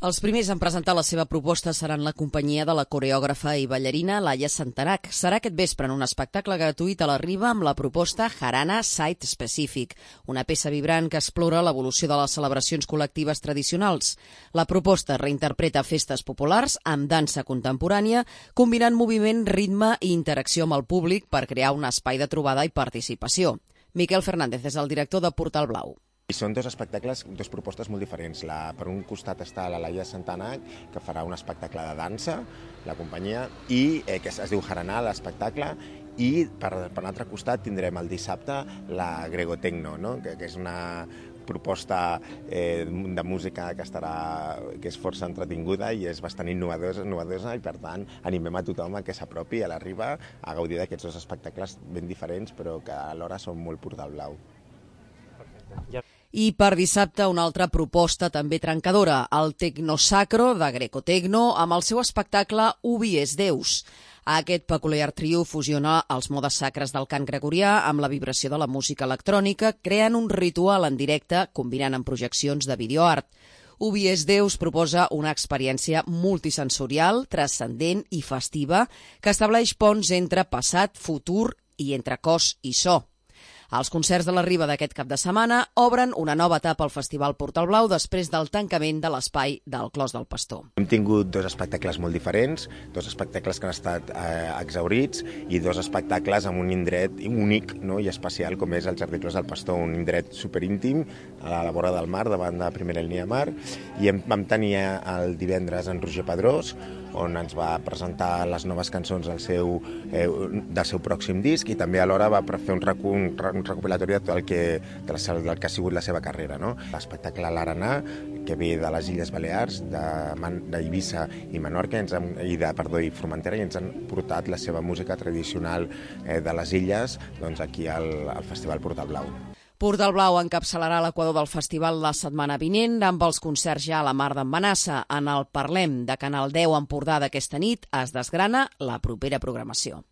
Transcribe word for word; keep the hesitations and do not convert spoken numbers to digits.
Els primers en presentar la seva proposta seran la companyia de la coreògrafa i ballarina Laia Santanac. Serà aquest vespre en un espectacle gratuït a la Riba amb la proposta Jarana Site Specific, una peça vibrant que explora l'evolució de les celebracions col·lectives tradicionals. La proposta reinterpreta festes populars amb dansa contemporània, combinant moviment, ritme i interacció amb el públic per crear un espai de trobada i participació. Miquel Fernández és el director de Portal Blau. I són dos espectacles, dos propostes molt diferents. La, per un costat està la Laia Santanac, que farà un espectacle de dansa, la companyia, i eh, que es, es diu Jarana, l'espectacle, i per, per l'altre costat tindrem el dissabte la Gregotecno, no? que, que és una proposta eh, de música que, estarà, que és força entretinguda i és bastant innovadora, innovadora i per tant animem a tothom a que s'apropi a la Riba a gaudir d'aquests dos espectacles ben diferents però que alhora són molt Portal Blau. I per dissabte una altra proposta també trencadora, el Tecnosacro de Grecotecno amb el seu espectacle Ubi es Deus. Aquest peculiar trio fusiona els modes sacres del cant gregorià amb la vibració de la música electrònica, creant un ritual en directe combinant amb projeccions de videoart. Ubi es Deus proposa una experiència multisensorial, transcendent i festiva que estableix ponts entre passat, futur i entre cos i so. Els concerts de la Riba d'aquest cap de setmana obren una nova etapa al Festival Portal Blau després del tancament de l'espai del Clos del Pastor. Hem tingut dos espectacles molt diferents, dos espectacles que han estat eh, exhaurits i dos espectacles amb un indret únic, no, i especial com és el Jardí Clos del Pastor, un indret superíntim a la vora del mar, davant de primera línia de mar, i hem, vam tenir el divendres en Roger Pedrós, on ens va presentar les noves cançons del seu, eh, del seu pròxim disc i també alhora va fer un, un, un recopilatori de tot el que, de la, del que ha sigut la seva carrera. No? L'espectacle L'Arenà, que ve de les Illes Balears, d'Eivissa i Menorca, ens han, i, de, perdó, i Formentera, i ens han portat la seva música tradicional eh, de les illes doncs, aquí al, al Festival Portal Blau. Portal Blau encapçalarà l'equador del festival la setmana vinent amb els concerts ja a la Mar d'en Manassa. En el Parlem de Canal deu Empordà d'aquesta nit es desgrana la propera programació.